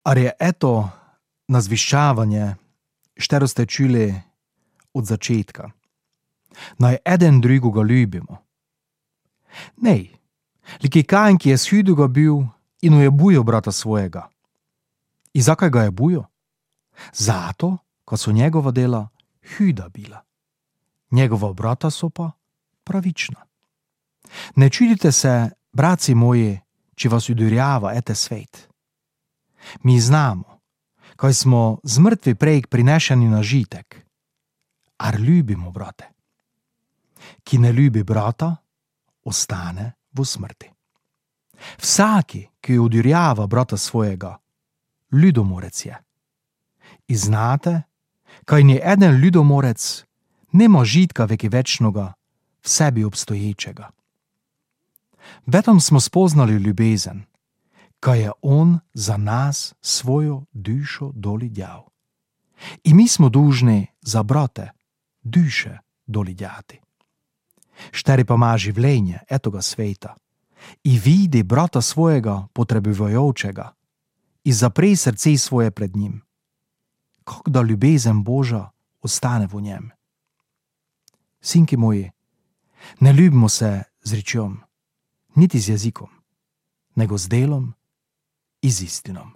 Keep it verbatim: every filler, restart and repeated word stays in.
Ali je eto nazviščavanje, štero ste čuli od začetka. Naj eden drugoga ljubimo. Nej, lik je Kain, ki je shudoga bil in ujebujo brata svojega. I zakaj ga je bujo? Zato, ko so njegova dela huda bila. Njegova brata so pa pravična. Ne čudite se, braci moji, če vas udurjava ete svet. Mi znamo, kaj smo z mrtvi prejk prinešeni na žitek, ar ljubimo brate. Ki ne ljubi brata, ostane v smrti. Vsaki, ki udurjava brata svojega, ljudomorec je. I znate, kaj ni eden ljudomorec nema žitka veki večnoga v sebi obstoječega. Vetom smo spoznali ljubezen, kaj je on za nas svojo dušo doli djal. I mi smo dužni za brate duše doli djati. Šteri pa ima življenje etoga sveta i vidi brata svojega potrebujočega i zapre srce svoje pred njim. Kako da ljubezen Boža ostane v njem. Sinki moji, ne ljubimo se z rečjo, niti z jezikom, nego z delom i z istinom.